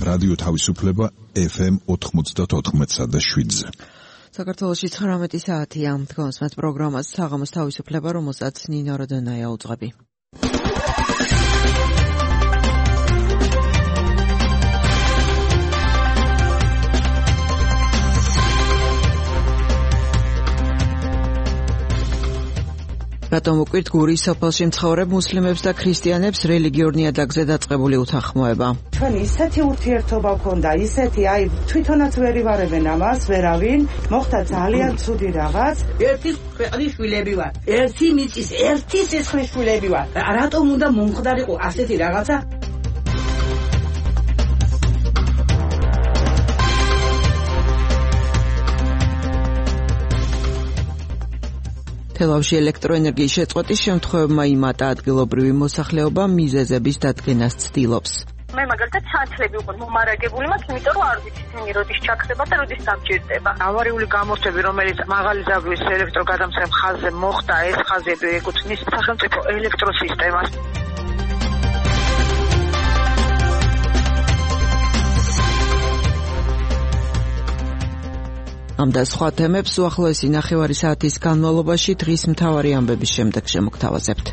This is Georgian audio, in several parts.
რადიო თავისუფლება FM 94.7-ზე. საქართველოში 19 საათია. დგომს მათ პროგრამას საღამოს თავისუფლება, რომელსაც ნინო როდონაია უძღვები. რატომ უკვირთ გურის სოფელში მცხოვრებ მუსლიმებს და ქრისტიანებს რელიგიურ ნიადაგზე დაწყებული უთანხმოება? ჩვენ ისეთი ურთიერთობა გქონდა, ისეთი, თვითონაც ვერ ივარებენ ამას, ვერავინ, მოხდა ძალიან ცუდი რაღაც. ერთი ქვეყნის შვილები ვარ, ერთი მიწის, ერთი სისხლის შვილები ვარ. რატომ უნდა მომხდარიყო ასეთი რაღაცა? თელავში ელექტროენერგიის შეწყვეტის შემთხვევებმა იმატა ადგილობრივი მოსახლეობა მიზეზების დადგენას ცდილობს. მე მაგალითად სანთლები უკვე მომარაგებული მაქვს, იმიტომ რომ არ ვიცი თემი როდის ჩაქცება და როდის დამჭირდება. ავარიული გამოსვლები, რომელიც მაღალი ზავის ელექტროგადამცემ ხაზზე მოხდა, ეს ხაზები ეკუთვნის სახელმწიფო ელექტროსისტემას. ამ და სხვა თემებს უახლოესი ნახევარი საათის განმავლობაში დღის მთავარი ამბების შემდეგ შემოგთავაზებთ.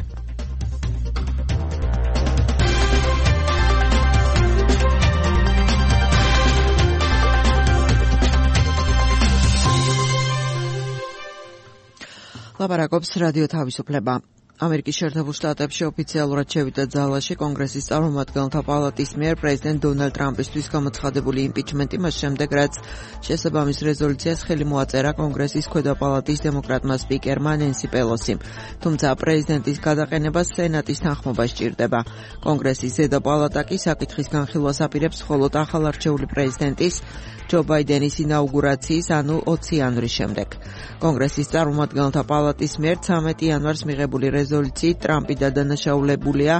ლაპარაკობს რადიო თავისუფლება. ამერიკის შეერთებულ შტატებში ოფიციალურად შევიდა ძალაში კონგრესის წარმომადგენელთა პალატის მიერ პრეზიდენტ დონალდ ტრამპისთვის გამოცხადებული იმპიჩმენტი მას შემდეგ, რაც შესაბამის რეზოლუციას ხელი მოაწერა კონგრესის ქვედა პალატის დემოკრატმა სპიკერმა ნენსი პელოსიმ. თუმცა პრეზიდენტის გადაყენებას სენატის თანხმობა სჭირდება. კონგრესის ზედა პალატა კი საკითხის განხილვას აპირებს მხოლოდ ახალარჩეული პრეზიდენტის ჯო ბაიდენის ინაუგურაციის, ანუ 20 იანვრის შემდეგ. კონგრესის წარმომადგენელთა პალატის მიერ 13 იანვარს მიღებული რეზოლუციით ტრამპი დადანაშაულებულია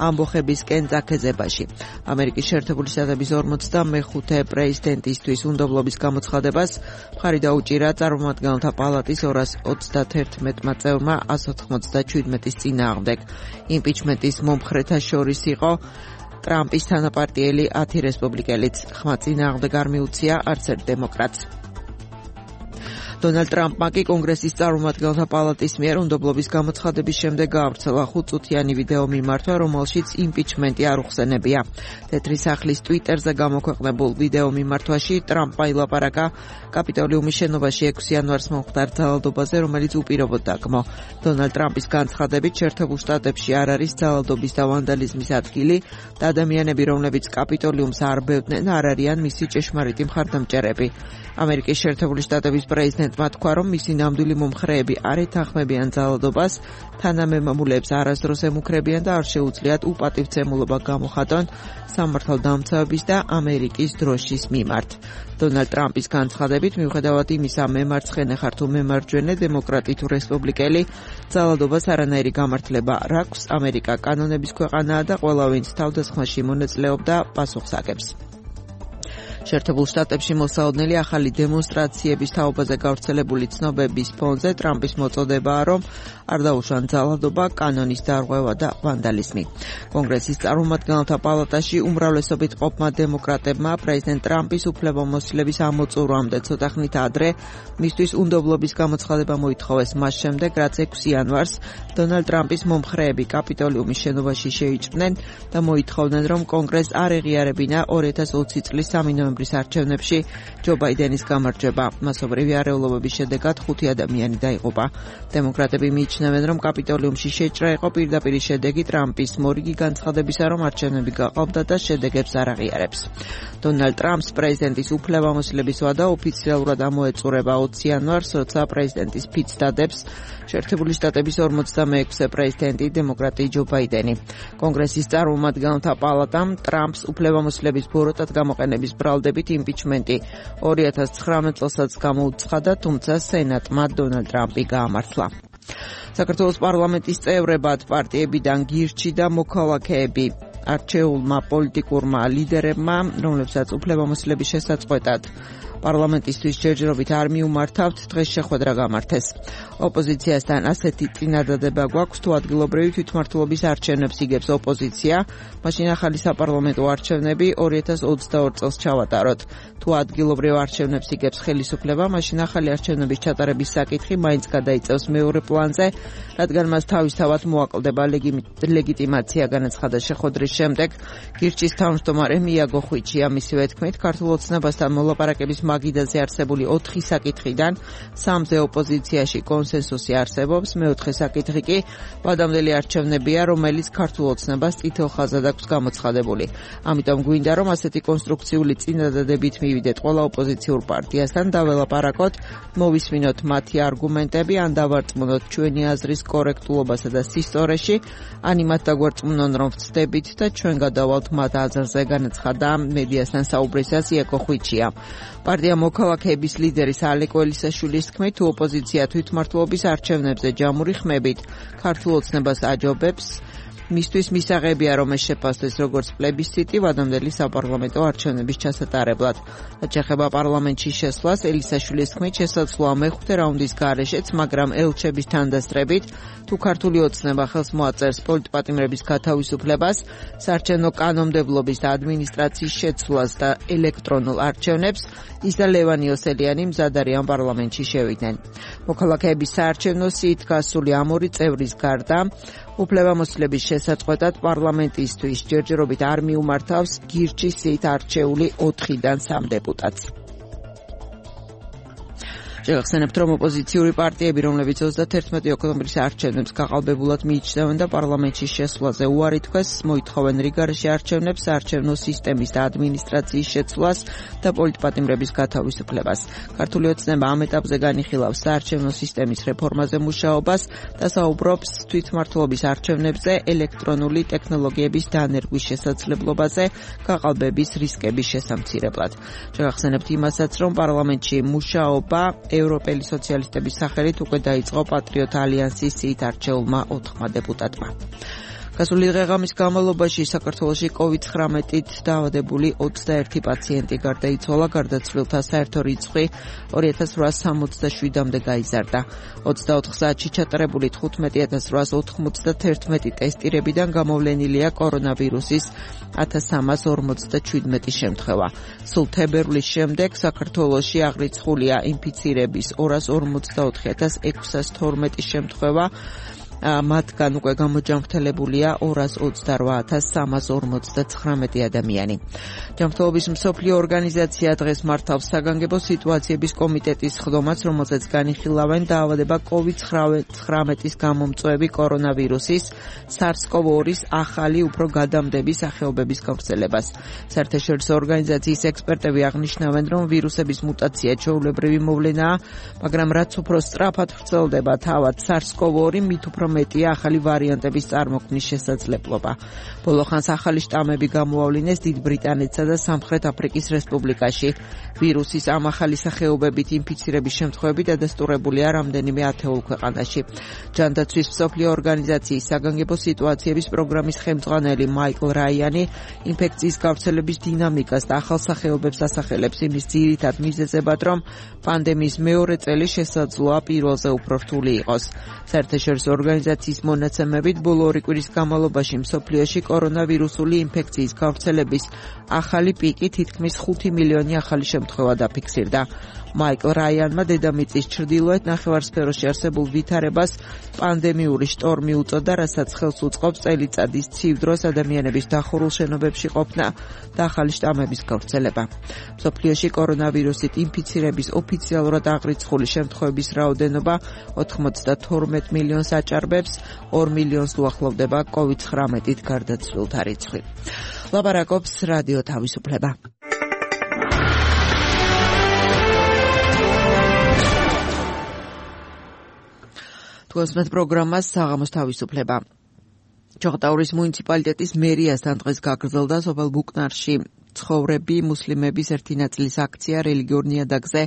ამბოხებისკენ წაქეზებაში. ამერიკის შეერთებული შტატების 45 პრეზიდენტისთვის უნდობლობის გამოცხადებას მხარი დაუჭირა წარმომადგენელთა პალატის 231 წევრმა 197-ის წინააღმდეგ. იმპიჩმენტის მომხრეთა შორის იყო ტრამპის თანაპარტიელი 10 რესპუბლიკელიც. ხმა წინააღმდეგ არ მიუცია არც ერთ დემოკრატს. დონალდ ტრამპმა კი კონგრესის წარმომადგენელთა პალატის მიერ უნდობლობის გამოცხადების შემდეგ გაავრცელა 5-წუთიანი ვიდეო მიმართვა, რომელშიც იმპიჩმენტი არ უხსენებია. თეთრი სახლის ტვიტერზე გამოქვეყნებულ ვიდეო მიმართვაში ტრამპმა ილაპარაკა კაპიტოლიუმის შენობაში 6 იანვარს მომხდარ ძალადობაზე, რომელიც უპირობოდ დაგმო. დონალდ ტრამპის განცხადებით, შეერთებულ შტატებში არ არის ძალადობის და ვანდალიზმის ადგილი და ადამიანები, რომლებიც კაპიტოლიუმს არ ბევდნენ, არ არიან მისი ჭეშმარიტი მხარდამჭერები. ამერიკის შეერთებული შტატების პრეზიდენტმა თქვა, რომ მისი ნამდვილი მომხრეები არ ეთანხმებიან ძალადობას, თანამემამულეებს არასდროს ემუქრებიან და არ შეუძლიათ უპატივცემულობა გამოხატონ სამართალდამცავების და ამერიკის დროშის მიმართ. დონალდ ტრამპის განცხადებით, მიუხედავად იმისა, მემარცხენე ხარ თუ მემარჯვენე, დემოკრატი თუ რესპუბლიკელი, ძალადობას არანაირი გამართლება არ აქვს. ამერიკა კანონების ქვეყანაა და ყველა ვინც თავდასხმაში მონაწილეობდა, პასუხს აგებს. შეერთებულ შტატებში მოსაოდნელი ახალი დემონსტრაციების თაობაზე გავრცელებული ცნობების ფონზე ტრამპის მოწოდებაა, რომ არ დაუშვან ძალადობა, კანონის დარღვევა და ვანდალიზმი. კონგრესის წარმომადგენელთა პალატაში უმრავლესობით ყოფმა დემოკრატებმა პრეზიდენტ ტრამპის უფლებამოსილების ამოწურვამდე ცოტა ხნით ადრე მისთვის უნდობლობის გამოცხადება მოითხოვეს, მას შემდეგ, რაც 6 იანვარს დონალდ ტრამპის მომხრეები კაპიტოლიუმის შენობაში შეიჭრნენ და მოითხოვდნენ, რომ კონგრესს არ ეღიარებინა 2020 წლის 3 ნოემბრის არჩევნებში ჯო ბაიდენის გამარჯვება. მასობრივი არეულობების შედეგად 5 ადამიანი დაიღუპა. დემოკრატები მიიჩნევენ, რომ კაპიტოლიუმში შეჭრა იყო პირდაპირი შედეგი ტრამპის მორიგი განცხადებისა, რომ არჩევნები გაყავდა და შედეგებს არ აღიარებს. დონალდ ტრამპს პრეზიდენტის უფლებამოსილების ვადა ოფიციალურად ამოეწურება 20 იანვარს, როცა პრეზიდენტის ფიცს დადებს შეერთებული შტატების 46 პრეზიდენტი დემოკრატი ჯო ბაიდენი. კონგრესის წარმომადგენელთა პალატამ ტრამპს უფლებამოსილების ბოროტად გამოყენების ბრალდებით იმპიჩმენტი 2019 წელსაც გამოუცხადა, თუმცა სენატმა დონალდ ტრამპი გაამართლა. საქართველოს პარლამენტის წევრებად პარტიებიდან გირჩი და მოქალაქეები არჩეულმა პოლიტიკურმა ლიდერებმა, რომლებსაც უფლებამოსილების შესაწყვეტად პარლამენტისთვის ჯერჯერობით არ მიუმართავთ, დღეს შეხვედრა გამართეს. ოპოზიციასთან ასეთი წინადადება გვაქვს, თუ ადგილობრივი თვითმმართველობის არჩევნებს იგებს ოპოზიცია, მაშინ ახალი საპარლამენტო არჩევნები 2022 წელს ჩავატაროთ. თუ ადგილობრივ არჩევნებს იგებს ხელისუფლება, მაშინ ახალი არჩევნების ჩატარების საკითხი მაინც გადაიწევს მეორე პლანზე, რადგან მას თავისთავად მოაკლდება ლეგიტიმაცია, განაცხადა შეხვედრის შემდეგ გირჩის თავმჯდომარე მიაგო ხვიჩია. მისივე თქმით, ქართულ ოცნებასთან მოლაპარაკების მაგიდაზე არსებული 4 საკითხიდან 3-ზე ოპოზიციაში კონსენსუსი არსებობს, მეოთხე საკითხი კი ვადამდელი არჩევნებია, რომელიც ქართულ ოცნებას წითელ ხაზად აქვს გამოცხადებული. ამიტომ გვინდა, რომ ასეთი კონსტრუქციული წინადადებით მივიდეთ ყველა ოპოზიციურ პარტიასთან და ველაპარაკოთ, მოვისმინოთ მათი არგუმენტები, ან დავარწმუნოთ ჩვენი აზრის კორექტულობასა და სისტორეში, ან იმათ დაგვარწმუნონ, რომ ვცდებით და ჩვენ გადავალთ მათ აზრზე, განაცხადა მედიასთან საუბრისას იაკო ხვიჩია. პარტია მოქალაქეების ლიდერის ალეკ ველისაშვილის თქმით, თუ ოპოზიცია თვითმმართველობის არჩევნებზე ჯამური ხმებით ქართულ ოცნებას აჯობებს, მისთვის მისაღებია, რომ ეს შეფასდეს როგორც პლებისციტი ვადამდელი საპარლამენტო არჩევნების ჩასატარებლად. რაც ეხება პარლამენტში შესვლას, ელისაშვილის თქმით, შესაძლოა მეხუთე რაუნდის გარეშეც, მაგრამ ელჩების თანდასწრებით, თუ ქართული ოცნება ხელს მოაწერს პოლიტპატიმრების გათავისუფლებას, საარჩევნო კანონმდებლობის და ადმინისტრაციის შეცვლას და ელექტრონულ არჩევნებს, ის და ლევან იოსელიანი მზად არიან პარლამენტში შევიდნენ. მოქალაქეების საარჩევნო სიით გასული ამ ორი წევრის გარდა, უფლებამოსილების შესაწყვეტად პარლამენტისთვის ჯერჯერობით არ მიუმართავს გირჩის სიით არჩეული 4-დან 3 დეპუტატს. შეგახსენებთ, რომ ოპოზიციური პარტიები, რომლებიც 31 ოქტომბრის არჩევნებს გაყალბებულად მიიჩნევენ და პარლამენტში შესვლაზე უარი თქვეს, მოითხოვენ რიგარში არჩევნებს, საარჩევნო სისტემის და ადმინისტრაციის შეცვლას და პოლიტპატიმრების გათავისუფლებას. ქართული ოცნება ამ ეტაპზე განიხილავს საარჩევნო სისტემის რეფორმაზე მუშაობას და საუბრობს თვითმმართველობის არჩევნებზე ელექტრონული ტექნოლოგიების დანერგვის შესაძლებლობაზე გაყალბების რისკების შესამცირებლად. შეგახსენებთ იმასაც, რომ პარლამენტში მუშაობა ევროპელი სოციალისტების სახელით უკვე დაიწყო პატრიოტ ალიანსის სიით არჩეულმა 4 დეპუტატმა. გასული დღე-ღამის განმავლობაში საქართველოში COVID-19-ით დაავადებული 21 პაციენტი გარდაიცვალა, გარდაცვლილთა საერთო რიცხვი 2867-მდე გაიზარდა. 24 საათში ჩატარებული 15891 ტესტირებიდან გამოვლენილია კორონავირუსის 1357 შემთხვევა. სულ თებერვლის შემდეგ საქართველოში აღრიცხულია ინფიცირების 254,612 შემთხვევა. მათგან უკვე გამოჯანმრთელებულია 228,359 ადამიანი. ჯანმრთელობის მსოფლიო ორგანიზაცია დღეს მართავს საგანგებო სიტუაციების კომიტეტის ხდომას, რომელზეც განიხილავენ დაავადება COVID-19-ის გამომწვევი კორონავირუსის SARS-CoV-2-ის ახალი, უფრო გადამდები სახეობების გავრცელებას. საერთაშორისო ორგანიზაციის ექსპერტები აღნიშნავენ, რომ ვირუსების მუტაცია ჩვეულებრივი მოვლენაა, მაგრამ რაც უფრო სწრაფად ვრცელდება თავად SARS-CoV-2, მით უფრო მეტია ახალი ვარიანტების წარმოქმნის შესაძლებლობა. ბოლო ხანს ახალი შტამები გამოავლინეს დიდ ბრიტანეთსა და სამხრეთ აფრიკის რესპუბლიკაში. ვირუსის ამ ახალი სახეობებით ინფიცირების შემთხვევები დადასტურებულია რამდენიმე ათეულ ქვეყანაში. ჯანდაცვის მსოფლიო ორგანიზაციის საგანგებო სიტუაციების პროგრამის ხელმძღვანელი მაიკლ რაიანი ინფექციის გავრცელების დინამიკას და ახალ სახეობებს ასახელებს იმის ძირითად მიზეზებად, რომ პანდემიის მეორე წელი შესაძლოა პირველზე უფრო რთული იყოს. საერთაშორისო ორგანიზაციის მონაცემებით ბოლო 2 კვირის განმავლობაში მსოფლიოში კორონავირუსული ინფექციის გავრცელების ახალი პიკი თითქმის 5 მილიონი ახალი შემთხვევა დაფიქსირდა. მაიკლ რაიანმა დედამიწის ჩრდილოეთ ნახევარსფეროში არსებულ ვითარებას პანდემიური შტორმი უწოდა, რასაც ხელს უწყობს წელიწადის ცივ დროს ადამიანების დახურულ შენობებში ყოფნა და ახალი შტამების გავრცელება. მსოფლიოში კორონავირუსით ინფიცირების ოფიციალურად აღრიცხული შემთხვევების რაოდენობა 92 მილიონს აჭარბებს, 2 მილიონს უახლოვდება COVID-19-ით გარდაცვლილთა რიცხვი. ლაპარაკობს რადიო თავისუფლება. თვალსმეთ პროგრამას საღამოს თავისუფლება. ჩოხატაურის მუნიციპალიტეტის მერიასთან დღეს გაგრძელდა სოფელ ბუკნარში მცხოვრები მუსლიმების ერთი ნაწილის აქცია რელიგიურ ნიადაგზე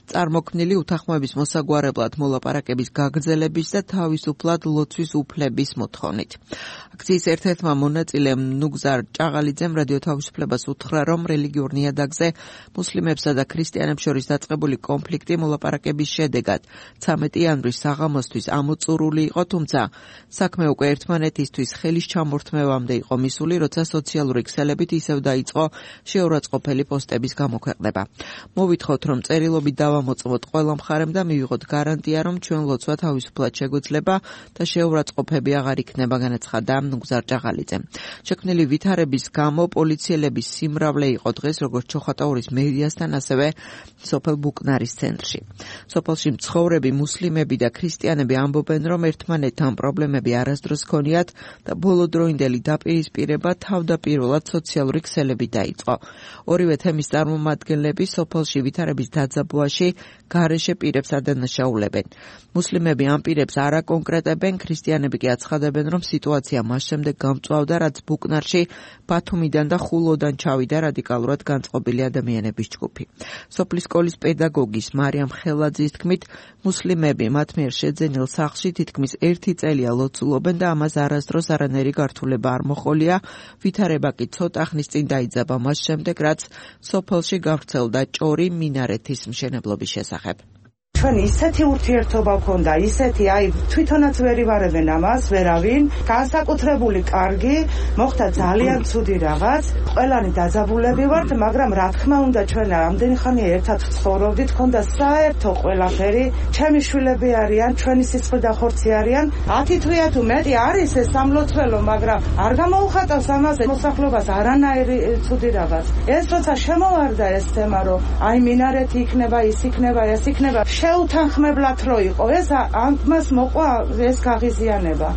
წარმოქმნილი უთანხმოების მოსაგვარებლად მოლაპარაკების გაგრძელების და თავისუფლად ლოცვის უფლების მოთხოვნით. აქციის ერთ-ერთმა მონაწილემ ნუგზარ ჭაღალიძემ რადიო თავისუფლებას უთხრა, რომ რელიგიურ ნიადაგზე მუსლიმებსა და ქრისტიანებს შორის დაწყებული კონფლიქტი მოლაპარაკების შედეგად 13 იანვრის საღამოსთვის ამოწურული იყო, თუმცა საქმე უკვე ერთმანეთისთვის ხელის ჩამორთმევამდე იყო მისული, როცა სოციალური ქსელებით ისევ დაიწყო შეურაცხყოფელი პოსტების გამოქვეყნება. მოვითხოვთ, რომ წერილობით დავამოწმოთ ყველა მხარემ და მივიღოთ გარანტია, რომ ჩვენ ლოცვა თავისუფლად შეგვეძლება და შეურაცხყოფები აღარ იქნება, განაცხადა ნუგზარ ჭაღალიძემ. შექმნილი ვითარების გამო პოლიციელების სიმრავლე იყო დღეს როგორც ჩოხატაურის მერიასთან, ასევე სოფელ ბუკნარის ცენტრში. სოფელში მცხოვრები მუსლიმები და ქრისტიანები ამბობენ, რომ ერთმანეთთან პრობლემები არასდროს ჰქონიათ და ბოლოდროინდელი დაპირისპირება თავდაპირველად სოციალური ქსელებით დაიწყო. ორივე თემის წარმომადგენლები სოფელში ვითარების დაძაბვაში გარეშე პირებს ადანაშაულებენ. მუსლიმები ამ პირებს არ აკონკრეტებენ, ქრისტიანები კი აცხადებენ, რომ სიტუაცია მას შემდეგ გამწვავდა, რაც ბუკნარში ბათუმიდან და ხულოდან ჩავიდა რადიკალურად განწყობილი ადამიანების ჯგუფი. სოფლის სკოლის პედაგოგის მარიამ ხელაძის თქმით, მუსლიმები მათ მიერ შეძენილ სახლში თითქმის 1 წელია ლოცულობენ და ამას არასდროს არანაირი გართულება არ მოჰყოლია. ვითარება კი ცოტა ხნის წინ დაიძაბა მას შემდეგ, რაც სოფელში გავრცელდა ჭორი მინარეთის მშენებლობის შესახებ. ჩვენ ისეთი ურთიერთობა გქონდა, ისეთი, თვითონაც ვერ ივარებენ ამას, ვერავინ, განსაკუთრებული კარგი, მოხდა ძალიან ცუდი რაღაც, ყველანი დაძაბულები ვართ, მაგრამ რა თქმა უნდა ჩვენ ამდენი ხანია ერთად ცხოვრობდით, გქონდა საერთო ყველაფერი, ჩემი შვილები არიან, ჩვენი სისხლი და ხორცი არიან, 10 თვეა თუ მეტი არის ეს სამლოცველო, მაგრამ არ გამოუხატავს ამაზე მოსახლეობას არანაირი ცუდი რაღაც. ეს როცა შემოვარდა ეს თემა, რომ მინარეთი იქნება, ის იქნება, ეს იქნება, შეუთანხმებლად რო იყო ეს ამას მოყვა ეს გაღიზიანება.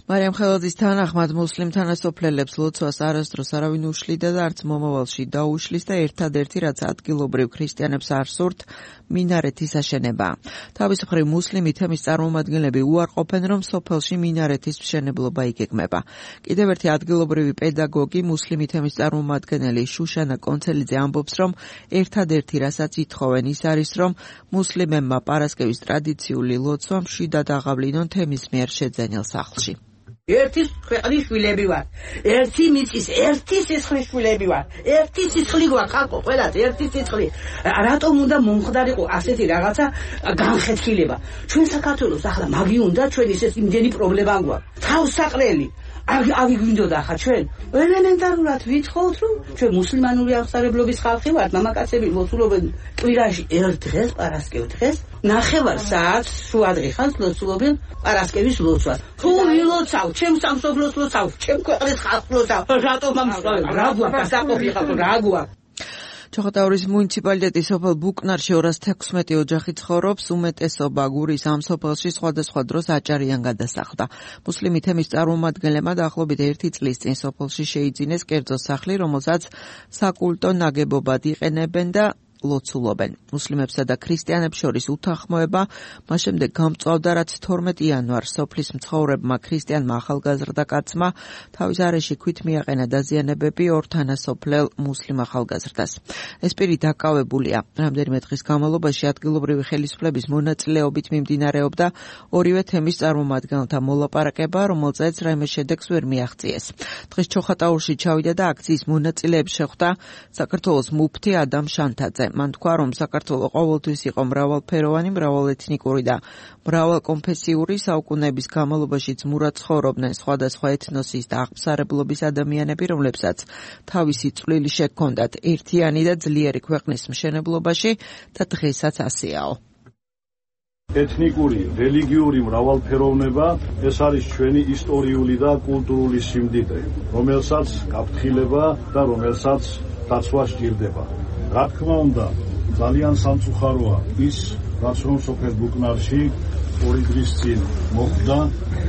მარიამ ხელაძის თანახმად მუსლიმ თანასოფლელებს ლოცვას არასდროს არავინ უშლიდა და არც მომავალში დაუშლის და ერთადერთი რაც ადგილობრივ ქრისტიანებს არ სურთ მინარეთის აშენება. თავის მხრივ მუსლიმი თემის წარმომადგენლები უარყოფენ, რომ სოფელში მინარეთის მშენებლობა იგეგმება. კიდევ ერთი ადგილობრივი პედაგოგი მუსლიმი თემის წარმომადგენელი შუშანა კონცელიძე ამბობს, რომ ერთადერთი რასაც ითხოვენ ის არის, რომ მუსლიმებმა პარასკევის ტრადიციული ლოცვა მშვიდად აღავლინონ თემის მიერ შეძენილ სახლში. ერთი ქვეყნის შვილები ვარ. ერთი მიწის, ერთი სისხლის შვილები ვარ. ერთი სისხლი გვაქვს ხალხო, ყველას ერთი სისხლი. რატომ უნდა მომხდარიყო ასეთი რაღაცა განხეთქილება? ჩვენ საქართველოს ახლა მაგი უნდა ჩვენ ისეთ იმდენი პრობლემა გვაქვს. თავსაყრელი ავი გვინდოდა ხა ჩვენ ელემენტარულად ვითხოვთ, რომ ჩვენ მუსლიმანური აღსარებლობის ხალხი ვართ, მამაკაცები ლოცულობენ კვირაში ერთ დღეს, პარასკევ დღეს, 9 საათს შუადღეხანს ლოცულობენ პარასკევის ლოცვას. თუ ვილოცავ, ჩემ სამშობლოს ლოცავ, ჩემ ქვეყნის ხალხს ლოცავ, რატომ ამსვავ? რა გვაქვს საყოფი ხალხო, რა გვაქვს? ჩოხატაურის მუნიციპალიტეტის სოფელ ბუკნარში 216 ოჯახი ცხოვრობს, უმეტესობა გურის ამ სოფელში სხვადასხვა დროს აჭარიან გადასახლდა. მუსლიმი თემის წარმომადგენლებმა დაახლოებით 1 წლის წინ სოფელში შეიძინეს კერძო სახლი, რომელსაც საკულტო ნაგებობად იყენებენ და ლოცულობენ. მუსლიმებსა და ქრისტიანებს შორის უთანხმოება მას შემდეგ გამწვავდა, რაც 12 იანვარს სოფლის მცხოვრებმა ქრისტიანმა ახალგაზრდა კაცმა თავის არეში ქვით მიაყენა დაზიანებები ორ თანასოფლელ მუსლიმ ახალგაზრდას. ეს პირი დაკავებულია. რამდენიმე დღის განმავლობაში ადგილობრივი ხელისუფლების მონაწილეობით მიმდინარეობდა ორივე თემის წარმომადგენელთა მოლაპარაკება, რომელზეც რაიმე შედეგს ვერ მიაღწიეს. დღეს ჩოხატაურში ჩავიდა და აქციის მონაწილეებს შეხვდა საქართველოს მუფთი ადამ შანთაძე. მან თქვა, რომ საქართველო ყოველთვის იყო მრავალფეროვანი, მრავალეთნიკური და მრავალკონფესიური, საუკუნეების განმავლობაშიც მურად ცხოვრობდნენ სხვადასხვა ეთნოსის და აღმსარებლობის ადამიანები, რომლებსაც თავისი წვლილი შეჰქონდათ ერთიანი და ძლიერი ქვეყნის მშენებლობაში და დღესაც ასეაო. ეთნიკური, რელიგიური მრავალფეროვნება ეს არის ჩვენი ისტორიული და კულტურული სიმდიდრე, რომელსაც გაფრთხილება და რომელსაც დაცვა სჭირდება. რა თქმა უნდა, ძალიან სამწუხაროა ის, რაც რომ სოფელ ბუკნარში 2 დღის წინ მოხდა.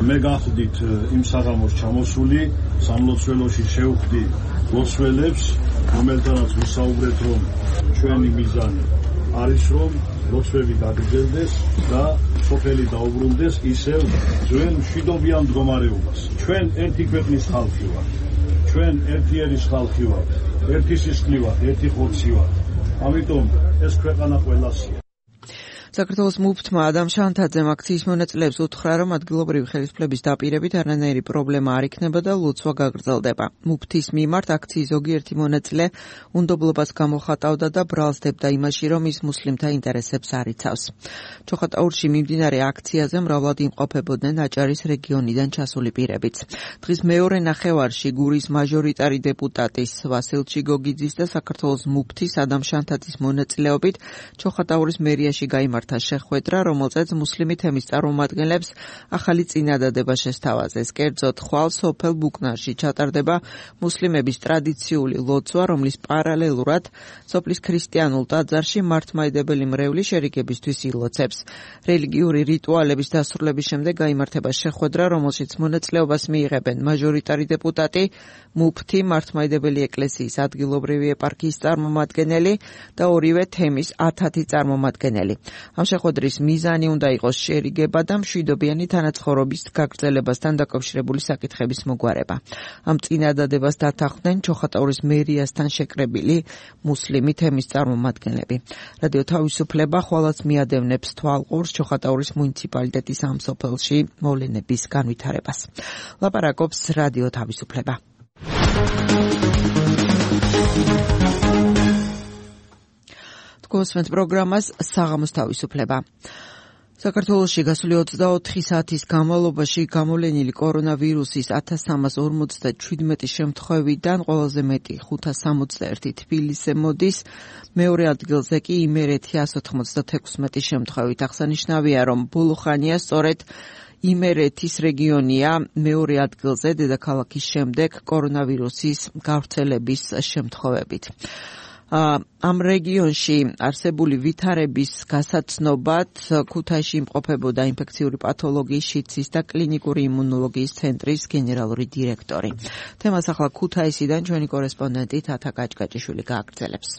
მე გახდით იმ საღამოს ჩამოსული, სამლოცველოში შევხვდი ლოცველებს, რომელთანაც ვისაუბრეთ, რომ ჩვენი მიზანი არის, რომ ლოცვები გაგრძელდეს და სოფელი დაუბრუნდეს ისევ ძველ მშვიდობიან მდგომარეობას. ჩვენ ერთი ქვეყნის ხალხი ვართ. ჩვენ ერთიერის ხალხი ვართ ერთი სისხლი ვართ, ერთი ხორცი ვართ. ამიტომ ეს ქვეყანა ყველასია. საქართველოს მუფტმა ადამ შანთაძემ აქციის მონაწილეებს უთხრა, რომ ადგილობრივი ხელისუფლების დაპირებით არანაირი პრობლემა არ იქნება და ლოცვა გაგრძელდება. მუფტის მიმართ აქციის ზოგიერთი მონაწილე უნდობლობას გამოხატავდა და ბრალსდებდა იმაში, რომ ის მუსლიმთა ინტერესებს არ იცავს. ჩოხატაურში მიმდინარე აქციაზე მრავლად იმყოფებოდნენ აჭარის რეგიონიდან ჩასული პირებიც. დღის მეორე ნახევარში გურის მაჟორიტარი დეპუტატის ვასილ ჩიგოგიძის და საქართველოს მუფტის ადამ შანთაძის მონაწილეობით ჩოხატაურის მერიაში გაიმართა შეხვედრა, რომელზეც მუსლიმი თემის წარმომადგენლებს ახალი წინადადება შესთავაზეს. კერძოდ, ხვალ სოფელ ბუკნარში ჩატარდება მუსლიმების ტრადიციული ლოცვა, რომლის პარალელურად სოფლის ქრისტიანულ ტაძარში მართლმადიდებელი მრევლი შერიგებისთვის ილოცებს. რელიგიური რიტუალების დასრულების შემდეგ გაიმართება შეხვედრა, რომელშიც მონაწილეობას მიიღებენ მაჟორიტარი დეპუტატი, მუფტი, მართლმადიდებელი ეკლესიის ადგილობრივი ეპარქიის წარმომადგენელი და ორივე თემის 10 წარმომადგენელი. ამ შეხვედრის მიზანი უნდა იყოს შერიგება და მშვიდობიანი თანაცხოვრების გაგრძელებასთან დაკავშირებული საკითხების მოგვარება. ამ წინადადებას დათანხმდნენ ჩოხატაურის მერიასთან შეკრებილი მუსლიმი თემის წარმომადგენლები. რადიო თავისუფლება ხვალაც მიადევნებს თვალყურს ჩოხატაურის მუნიციპალიტეტის ამ სოფელში მოვლენების განვითარებას. ლაპარაკობს რადიო თავისუფლება. გოსმენთ პროგრამას საღამოს თავისუფლება. საქართველოში გასული 24 საათის განმავლობაში გამოვლენილი კორონავირუსის 1357 შემთხვევიდან ყველაზე მეტი 561 თბილისზე მოდის, მეორე ადგილზე კი იმერეთი 196 შემთხვევით. აღსანიშნავია, რომ ბოლო ხანია სწორედ იმერეთის რეგიონია მეორე ადგილზე დედაქალაქის შემდეგ კორონავირუსის გავრცელების შემთხვევებით. ამ რეგიონში არსებული ვითარების გასაცნობად ქუთაისში იმყოფებოდა ინფექციური პათოლოგიის, შიდსის და კლინიკური იმუნოლოგიის ცენტრის გენერალური დირექტორი. თემას ახლა ქუთაისიდან ჩვენი კორესპონდენტი თათა გაჭგაჭიშვილი გააგრძელებს.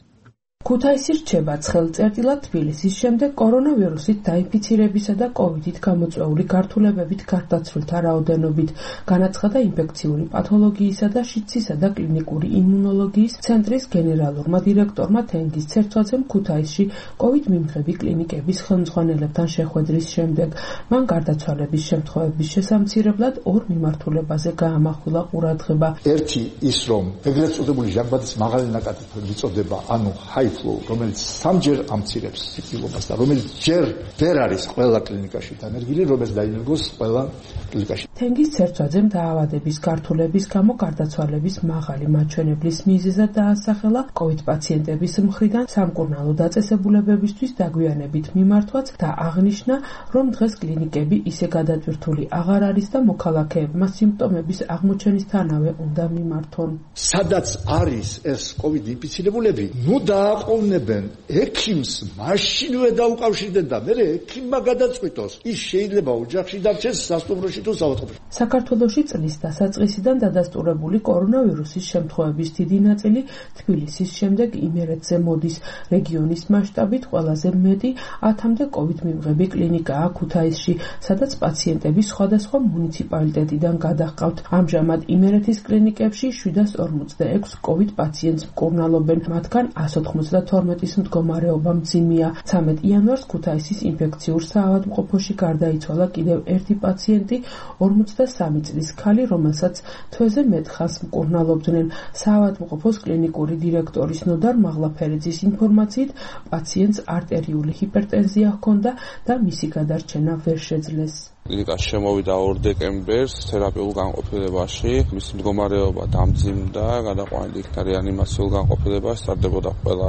ქუთაისი რჩება ცხელწერტილად თბილისის შემდეგ კორონავირუსით დაინფიცირებისა და კოვიდით გამოწვეული გართულებებით გარდაცვლილთა რაოდენობით, განაცხადა ინფექციური პათოლოგიისა და შიდსისა და კლინიკური იმუნოლოგიის ცენტრის გენერალურმა დირექტორმა თენგიზ ცერცვაძემ ქუთაისში კოვიდ მიმღები კლინიკების ხელმძღვანელებთან შეხვედრის შემდეგ. მან გარდაცვალების შემთხვევების შესამცირებლად ორ მიმართულებაზე გაამახვილა ყურადღება. ერთი ის, რომ ეგრეთ წოდებული ჟანგბადის მაღალი ნაკადის მიწოდება, ანუ high flow, რომელიც სამჯერ ამცირებს სიკვდილობას და რომელიც ჯერ ვერ არის ყველა კლინიკაში დანერგილი, რომელიც დაინერგოს ყველა კლინიკაში. თენგიზ ცერცვაძემ დაავადების გართულების გამო გარდაცვალების მაღალი მაჩვენებლის მიზეზად დაასახელა კოვიდ პაციენტების მხრიდან სამკურნალო დაწესებულებებისთვის დაგვიანებით მიმართვაც და აღნიშნა, რომ დღეს კლინიკები ისე გადატვირთული აღარ არის და მოქალაქეებმა სიმპტომების აღმოჩენისთანავე უნდა მიმართონ. სადაც არის ეს კოვიდ ინფიცირებულები, ნუ დააყოვნებენ ექიმს, მაშინვე დაუკავშირდნენ და მერე ექიმმა გადაწყვიტოს. ის შეიძლება ოჯახში დარჩეს, სასტუმროში თუ საავადმყოფოში. საქართველოში წლის დასაწყისიდან დადასტურებული კორონავირუსის შემთხვევების დიდი ნაწილი თბილისის შემდეგ იმერეთზე მოდის. რეგიონის მასშტაბით ყველაზე მეტი 1000-მდე კოვიდ მიმღები კლინიკაა ქუთაისში, სადაც პაციენტები სხვადასხვა მუნიციპალიტეტიდან გადაჰყავთ. ამჟამად იმერეთის კლინიკებში 746 კოვიდ პაციენტს მკურნალობენ, მათგან 192-ის მდგომარეობა მძიმეა. 13 იანვარს ქუთაისის ინფექციურ საავადმყოფოში გარდაიცვალა კიდევ ერთი პაციენტი, 43 წლის ქალი, რომელსაც თვეზე მეტხანს მკურნალობდნენ. საავადმყოფოს კლინიკური დირექტორის ნოდარ მაღლაფერიძის ინფორმაციით, პაციენტს არტერიული ჰიპერტენზია ჰქონდა და მისი გადარჩენა ვერ შეძლეს. კლინიკაში შემოვიდა 2 დეკემბერს თერაპიულ განყოფილებაში. მისი მდგომარეობა დამძიმდა, გადაყვანილი იქნა რეანიმაციულ განყოფილებაში, სტარდებოდა ყველა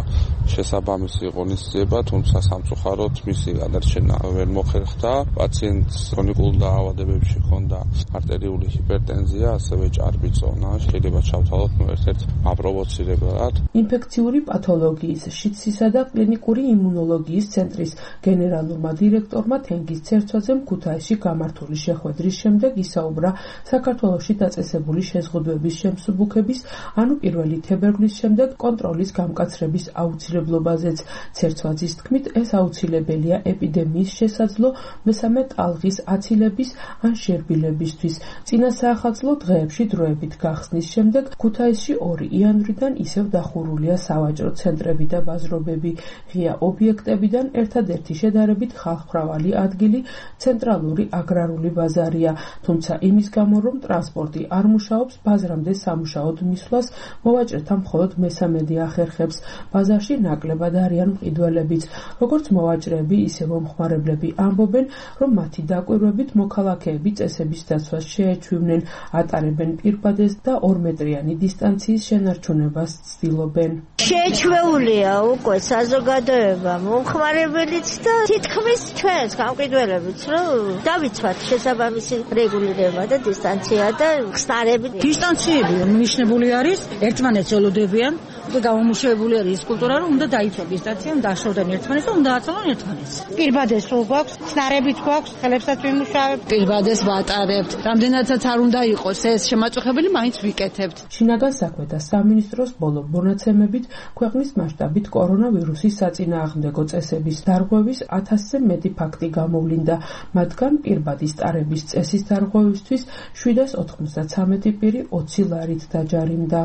შესაბამისი ღონისძიება, თუმცა სამწუხაროდ მისი გადარჩენა ვერ მოხერხდა. პაციენტს ქრონიკულ დაავადებებში ჰქონდა არტერიული ჰიპერტენზია, ასევე ჭარბი წონა, შეიძლება ჩავთვალოთ ერთ-ერთ აპროვოცირებულად. ინფექციური პათოლოგიის, შიდსისა და კლინიკური იმუნოლოგიის ცენტრის გენერალურმა დირექტორმა თენგიზ ცერცვაძემ ქუთაისში გამართული შეხვედრის შემდეგ ისაუბრა საქართველოში დაწესებული შეზღუდვების შემსუბუქების, ანუ 1 თებერვლის შემდეგ კონტროლის გამკაცრების აუცილებლობაზეც. ცერცვაძის თქმით, ეს აუცილებელია ეპიდემიის შესაძლო მესამე ტალღის აცილების ან შერბილებისთვის. წინა საახალწლო დღეებში დროებით გახსნის შემდეგ ქუთაისში 2 იანვრიდან ისევ დახურულია სავაჭრო ცენტრები და ბაზრობები. ღია ობიექტებიდან ერთადერთი შედარებით ხალხმრავალი ადგილი ცენტრალური აგრარული ბაზარია, თუმცა იმის გამო, რომ ტრანსპორტი არ მუშაობს, ბაზრამდე სამუშაოდ მისვლას მოვაჭრეთა მხოლოდ მესამედი ახერხებს. ბაზარში ნაკლებად არიან მყიდველებიც. როგორც მოვაჭრეები, ისე მომხმარებლები ამბობენ, რომ მათი დაკვირვებით მოქალაქეები წესების დაცვას შეეჩვივნენ, ატარებენ პირბადეს და 2 მეტრიანი დისტანციის შენარჩუნებას ცდილობენ. შეეჩვეულია უკვე საზოგადოება, მომხმარებელიც და თითქმის ჩვენს გამყიდველებიც, რომ დავიცვათ შესაბამისი რეგულირება და დისტანცია და ხსნარები. დისტანციები მნიშვნელოვანი არის, ერთმანეთს ელოდებიან და გამომუშავებული არის ის კულტურა, რომ უნდა დაიცვათ დისტანცია, დააშორდნენ ერთმანეთს და უნდა აცალონ ერთმანეთს. პირბადეს სულ გვაქვს, ხსნარებიც გვაქვს, ხელებსაც ვიმუშავებთ. პირბადეს ვატარებთ. რამდენადაც არ უნდა იყოს ეს შემაწუხებელი, მაინც ვიკეთებთ. შინაგან საქმეთა სამინისტროს ბოლო მონაცემებით ქვეყნის მასშტაბით კორონავირუსის საწინააღმდეგო წესების დარღვევის 1000-ზე მეტი ფაქტი გამოვლინდა, მათგან პირბადის ტარების წესის დარღვევისთვის 793 პირი 20 ლარით დაჯარიმდა.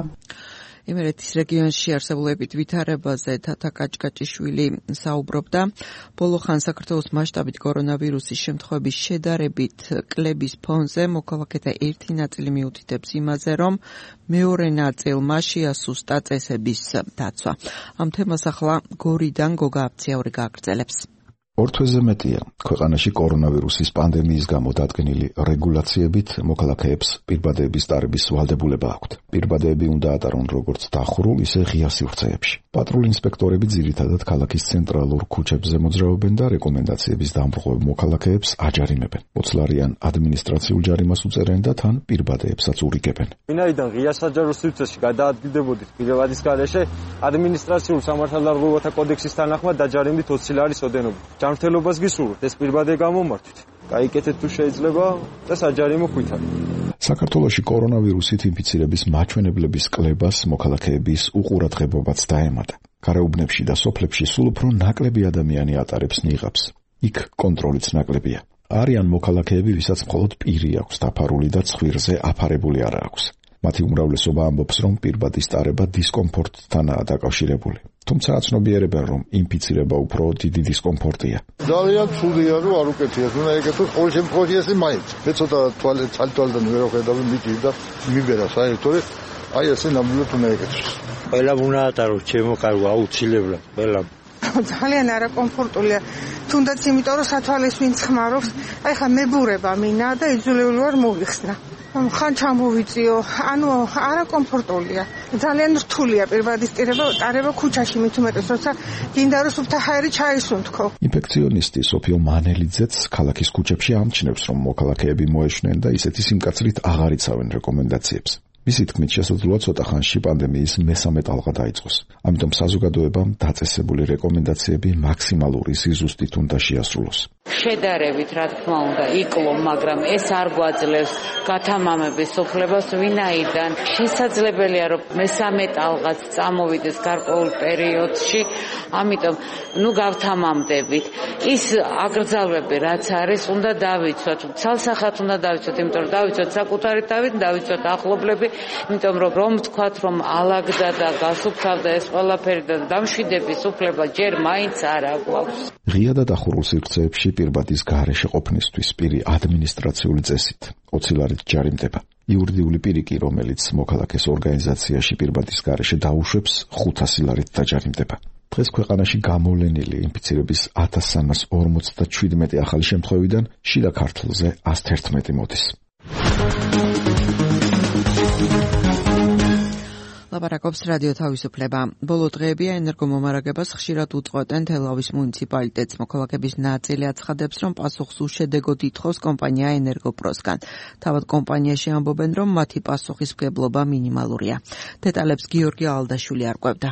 იმერეთის რეგიონში არსებულ ვითარებაზე თათა კაჭკაჭიშვილი საუბრობდა. ბოლო ხან საქართველოს მასშტაბით კორონავირუსის შემთხვევების შედარებით კლების ფონზე მოქალაქეთა ერთი ნაწილი მიუთითებს იმაზე, რომ მეორე ნაწილმა შეასუსტა წესების დაცვა. ამ თემას ახლა გორიდან გოგა აფციაური გააგრძელებს. 2 თვეზე მეტია ქვეყანაში კორონავირუსის პანდემიის გამო დადგენილი რეგულაციებით მოქალაქეებს პირბადეების ტარების ვალდებულება აქვთ. პირბადეები უნდა ატარონ როგორც დახურულ, ისე ღია სივრცეებში. პატრულ ინსპექტორები ძირითადად ქალაქის ცენტრალურ ქუჩებზე მოძრაობენ და რეკომენდაციების დამრღვევ მოქალაქეებს აჯარიმებენ. 20 ლარიან ადმინისტრაციულ ჯარიმას უწერენ და თან პირბადეებსაც ურიგებენ. ვინაიდან ღია საჯარო სივრცეში გადაადგილდებოდით პირბადის გარეშე, ადმინისტრაციულ სამართალდარღვევათა კოდექსის თანახმად დაჯარიმდით 20 ლარის ოდენობით. ჯანმრთელობას გისურვებთ, ეს პირბადე გამომართვით. გაიკეთეთ თუ შეიძლება და საჯარიმო ხვითარი. საქართველოში კორონავირუსით ინფიცირების მაჩვენებლების კლებას მოქალაქეების უყურადღებობაც დაემატა. გარეუბნებში და სოფლებში სულ უფრო ნაკლები ადამიანი ატარებს ნიღაბს. იქ კონტროლიც ნაკლებია. არიან მოქალაქეები, ვისაც მხოლოდ პირი აქვს დაფარული და ცხვირზე აფარებული არ აქვს. მათი უმრავლესობა ამბობს, რომ პირბადის ტარება დისკომფორტთანაა დაკავშირებული. თუმცა აცნობიერებენ, რომ ინფიცირება უფრო დიდი დისკომფორტია. ძალიან ცუდია, რომ არ უკეთიათ, უნდა ეკეთოს ყოველ შემთხვევაში ესე მაინც. მე ცოტა თვალიდან ვერ ვხედავ მიჭირ და მიბერა საერთოდ, აი ესე ნამდვილად უნდა ეკეთოს. ყველა უნდა ატაროს ჩემო კარგო აუცილებლად, ყველა. ძალიან არაკომფორტულია. თუნდაც იმიტომ, რომ სათვალეს ვინც ხმარობს, აი ხა მებურება მინა და იძულებული ვარ მოვიხსნა. ხან ჩამოვიწიო, ანუ არაკომფორტულია. ძალიან რთულია პირბადის ტარება ქუჩაში, მით უმეტეს, როცა გინდა რომ სუფთა ჰაერი ჩაისუნთქო. ინფექციონისტი სოფიო მანელიძეც ქალაქის ქუჩებში ამჩნევს, რომ მოქალაქეები მოეშვნენ და ისეთი სიმკაცრით აღარ იცავენ რეკომენდაციებს. მისი თქმით, შესაძლოა ცოტა ხანში პანდემიის მესამე ტალღა დაიწყოს. ამიტომ საზოგადოებამ დაწესებული რეკომენდაციები მაქსიმალური სიზუსტით უნდა შეასრულოს. შედარებით, რა თქმა უნდა, იკლო, მაგრამ ეს არ გვაძლევს გათამამების უფლებას, ვინაიდან შესაძლებელია, რომ მესამე ტალღაც წამოვიდეს გარკვეულ პერიოდში, ამიტომ გავთამამდებით. ის აკრძალვები, რაც არის, უნდა დავიცვათ. ცალსახად უნდა დავიცვათ, იმიტომ რომ დავიცვათ საკუთარი თავით, დავიცვათ ახლობლები, იმიტომ რომ თქვათ, რომ ალაგდა და გასუფთავდა ეს ყველაფერი და დამშვიდების უფლება ჯერ მაინც არ აქვს. ღია და დახურულ სივრცეებში პირბადის გარეშე ყოფნისთვის პირი ადმინისტრაციული წესით 20 ლარით ჯარიმდება. იურიდიული პირი კი, რომელიც მოქალაქეს ორგანიზაციაში პირბადის გარეშე დაუშვებს, 500 ლარით დაჯარიმდება. დღეს ქვეყანაში გამოვლენილი ინფიცირების 1347 ახალი შემთხვევიდან შიდა ქართლზე 111 მოდის. ლაპარაკობს რადიო თავისუფლება. ბოლო დღეებია ენერგომომარაგებას ხშირად უწყვეტენ თელავის მუნიციპალიტეტს. მოქალაქეების ნაწილი აცხადებს, რომ პასუხს უშედეგოდ ითხოვს კომპანია ენერგოპროსგან. თავად კომპანიაში ამბობენ, რომ მათი პასუხისმგებლობა მინიმალურია. დეტალებს გიორგი ალდაშვილი არკვევდა.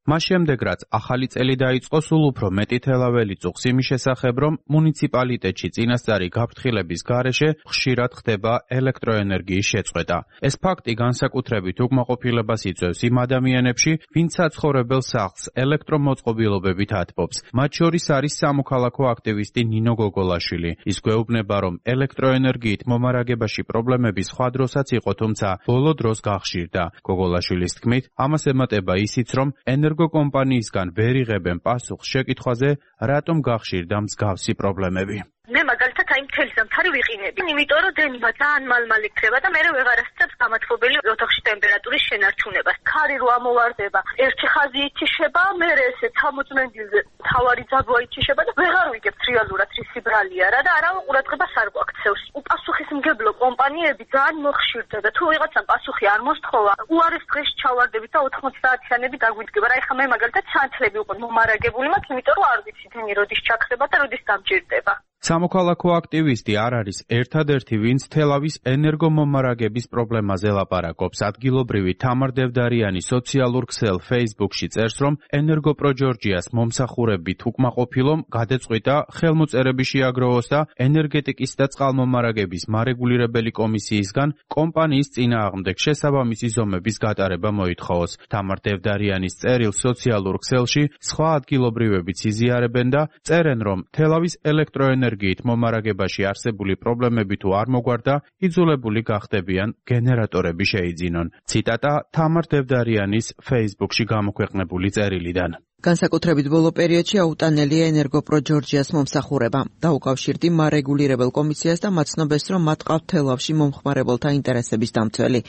მას შემდეგ რაც ახალი წელი დაიწყო, სულ უფრო მეტი თელაველი წუხს იმის შესახებ, რომ მუნიციპალიტეტში წინასწარი გაფრთხილების გარეშე ხშირად ხდება ელექტროენერგიის შეწყვეტა. ეს ფაქტი განსაკუთრებით უკმაყოფილებას იწვევს იმ ადამიანებში, ვინც საცხოვრებელ სახლს ელექტრომოწყობილობებით ათბობს. მათ შორის არის სამოქალაქო აქტივისტი ნინო გოგოლაშვილი. ის გვეუბნება, რომ ელექტროენერგიით მომარაგებაში პრობლემები სხვა დროსაც იყო, თუმცა ბოლო დროს გახშირდა. გოგოლაშვილის თქმით, ამას ემატება ისიც, რომ ენერგოკომპანიისგან ვერ იღებენ პასუხს შეკითხვაზე, რატომ გახშირდა მსგავსი პრობლემები. მე მაგალითად აი მთელი ზამთარი ვიყინები, იმიტომ რომ დენება ძალიან მალ-მალ იქნება და მე ვეღარ ასწრებს გამათბობელი ოთახში ტემპერატურის შენარჩუნებას. ქარი რო ამოვარდება, ერთი ხაზი ითიშება, მე ესე 60 მენდილზე თავარი ძაბვა ითიშება და ვეღარ ვიგებთ რეალურად რის ბრალია რა და არავინ ყურადღებას არ გვაქცევს. უპასუხისმგებლო კომპანიები ძალიან მოხშირდა და თუ ვიღაცამ პასუხი არ მოსთხოვა, უარეს დღეში ჩავარდებით და 80 საათიანები დაგვიდგება. რა ეხლა მე მაგალითად სანთლები უკვე მომარაგებული მაქვს, იმიტომ რომ არ ვიცი თენი როდის ჩაქრება და როდის დამჭირდება. სამოქალაქო აქტივისტი არ არის ერთადერთი, ვინც თელავის ენერგომომარაგების პრობლემაზე ლაპარაკობს. ადგილობრივი თამარ დევდარიანი სოციალურ ქსელ Facebook-ში წერს, რომ ენერგოპროჯორჯიას მომსახურებით უკმაყოფილომ გადაწყვიტა ხელმოწერები შეაგროვოს და ენერგეტიკის და წყალმომარაგების მარეგულირებელი კომისიისგან კომპანიის წინააღმდეგ შესაბამისი ზომების გატარება მოითხოვოს. თამარ დევდარიანის წერილ სოციალურ ქსელში სხვა ადგილობრივებიც იზიარებენ და წერენ, რომ თელავის ელექტროენერგიით მომარაგებაში არსებული პრობლემები თუ არ მოგვარდა, იძულებული გახდებიან გენერატორები შეიძინონ. ციტატა თამარ დევდარიანის Facebook-ში გამოქვეყნებული წერილიდან. განსაკუთრებით ბოლო პერიოდში აუტანელია ენერგოპროჯორჯიას მომსახურება. დაუკავშირდი მარეგულირებელ კომისიას და მაცნობეს, რომ მათ ყავთ თელავში მომხმარებელთა ინტერესების დამცველი.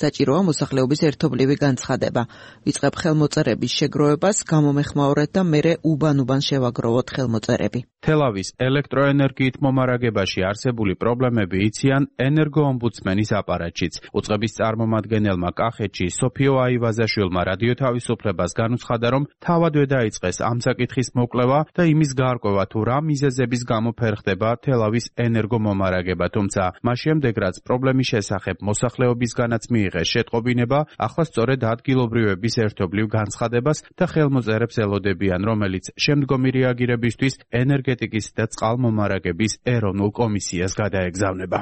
საჭიროა მოსახლეობის ერთობლივი განცხადება. ვიწყებ ხელმოწერების შეგროვებას, გამომეხმაურეთ და მერე უბან-უბან შევაგროვოთ ხელმოწერები. თელავის ელექტროენერგიით მომარაგებაში არსებული პრობლემები იციან ენერგოომბუდსმენის აპარატშიც. უწყების წარმომადგენელმა კახეთში სოფიო აივაზაშვილმა რადიო თავისუფლებას განუცხადა, რომ თავადვე დაიწყეს ამ საკითხის მოკვლევა და იმის გარკვევა, თუ რა მიზეზების გამო ფერხდება თელავის ენერგომომარაგება, თუმცა მას შემდეგ რაც პრობლემის შესახებ მოსახლეობისგანაც მიიღეს შეტყობინება, ახლა სწორედ ადგილობრივების ერთობლივ განცხადებას და ხელმოწერებს ელოდებიან, რომელიც შემდგომი რეაგირებისთვის ენერგეტიკის და წყალმომარაგების ეროვნულ კომისიას გადაეგზავნება.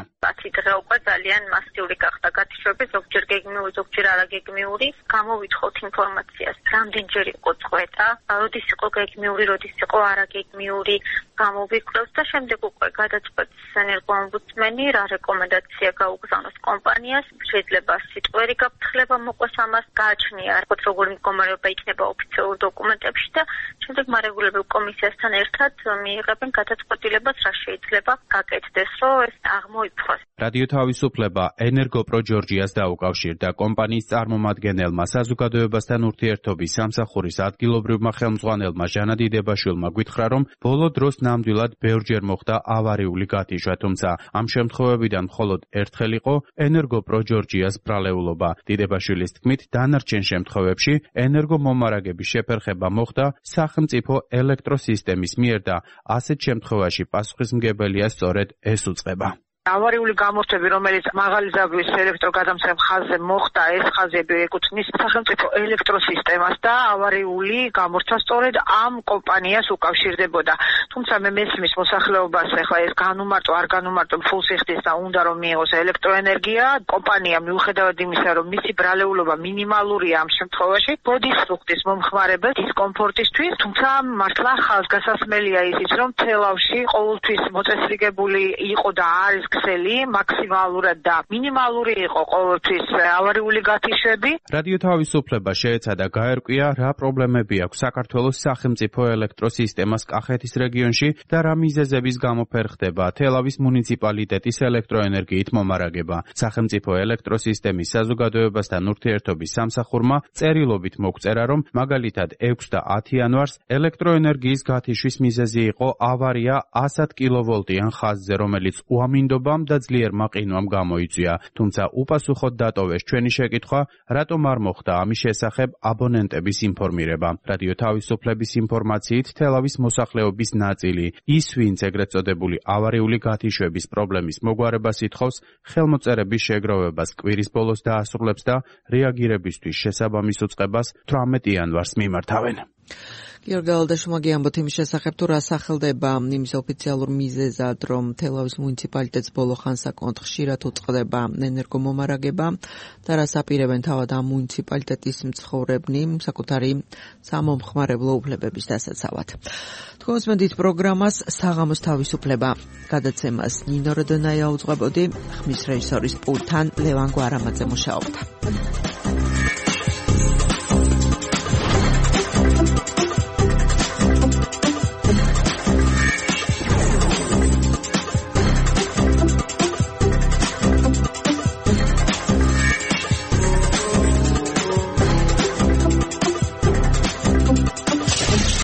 დღე უკვე ძალიან მასიური გახდა გათიშები, ზოგჯერ გეგმიური, ზოგჯერ არაგეგმიური. გამოვითხოვთ ინფორმაციას, რამდენჯერ იყო წყვეტა, როდის იყო გეგმიური, როდის იყო არაგეგმიური, გამოვიკვლევს და შემდეგ უკვე გადაწყვეტს ენერგოომბუდსმენი, რა რეკომენდაცია გაუგზავნოს კომპანიას, შეიძლება სიტყვერი გაფრთხილება მოყვეს ამას, გააჩნია როგორი მდგომარეობა იქნება ოფიციალურ დოკუმენტებში და შემდეგ მარეგულირებელ კომისიასთან ერთად მიიღებენ გადაწყვეტილებას, რა შეიძლება გაკეთდეს, რომ ეს აღმოიფხოს. რადიო თავისუფლება ენერგოპროჯორჯიას დაუკავშირდა კომპანიის წარმომადგენელმა, საზოგადოებასთან ურთიერთობის სამსახურის ადგილობრივმა ხელმძღვანელმა ჟანა დიდებაშვილმა გითხრა, რომ ბოლო დროს ნამდვილად ბევრჯერ მოხდა ავარიული გათიშვა, თუმცა ამ შემთხვევებიდან მხოლოდ ერთხელ იყო ენერგოპროჯორჯიას ბრალეულობა. დიდებაშვილის თქმით, დანარჩენ შემთხვევებში ენერგომომარაგების შეფერხება მოხდა სახელმწიფო ელექტროსისტემის მიერ და ასეთ შემთხვევაში პასუხისმგებელია სწორედ ეს უწყება. ავარიული გამორთვები, რომელიც მაღალი ზაგვის ელექტროგადამცემ ხაზზე მოხდა, ეს ხაზები ეკუთვნის სახელმწიფო ელექტროსისტემას და ავარიული გამორთვა სწორედ ამ კომპანიას უკავშირდებოდა. თუმცა მე მესმის მოსახლეობას, ახლა ეს განუმარტო, არ განუმარტო, ფულსიხდის და უნდა რომ მიიღოს ელექტროენერგია, კომპანია მიუხედავად იმისა, რომ მისი ბრალეულობა მინიმალურია ამ შემთხვევაში, ბოდის სრუხტის მომხმარებელ დისკომფორტისთვის, თუმცა მართლა ხაზგასასმელია ისიც, რომ თელავში ყოველთვის მოწესრიგებული იყო და არის ქსელი მაქსიმალურად და მინიმალური იყო ყოველთვის ავარიული გათიშები. რადიო თავისუფლება შეეცადა გაერკვია, რა პრობლემები აქვს საქართველოს სახელმწიფო ელექტროსისტემას კახეთის რეგიონში და რა მიზეზების გამო ფერხდება თელავის მუნიციპალიტეტის ელექტროენერგიით მომარაგება. სახელმწიფო ელექტროსისტემის საზოგადოებასთან ურთიერთობის სამსახურმა წერილობით მოგწერა, რომ მაგალითად 6 და 10 იანვარს ელექტროენერგიის გათიშვის მიზეზი იყო ავარია 100 კილოვოლტიან ხაზზე, რომელიც უამინდო მცდელობამ და ძლიერ მაყინვამ გამოიწვია. თუმცა უპასუხოდ დატოვეს ჩვენი შეკითხვა, რატომ არ მოხდა ამის შესახებ აბონენტების ინფორმირება. რადიო თავისუფლების ინფორმაციით, თელავის მოსახლეობის ნაწილი, ის ვინც ეგრეთ წოდებული ავარიული გათიშვების პრობლემის მოგვარებას ითხოვს, ხელმოწერების შეგროვებას კვირის ბოლოს დაასრულებს და რეაგირებისთვის შესაბამის უწყებას 18 იანვარს მიმართავენ. გიორგი გალადაშვილმა გიამბოთ იმის შესახებ, თუ რა სახელდება იმის ოფიციალურ მიზეზად, რომ თელავის მუნიციპალიტეტს ბოლო ხანსაკონთ ხშირად უწყდება ენერგომომარაგება და რას აპირებენ თავად ამ მუნიციპალიტეტის მცხოვრებნი საკუთარი სამომხმარებლო უფლებების დასაცავად. თქვენს მედით პროგრამას საღამოს თავისუფლება გადაცემას ნინო როდონაია უძღვებოდი, ხმის რეჟისორის პულტთან ლევან გვარამაძე მუშაობდა.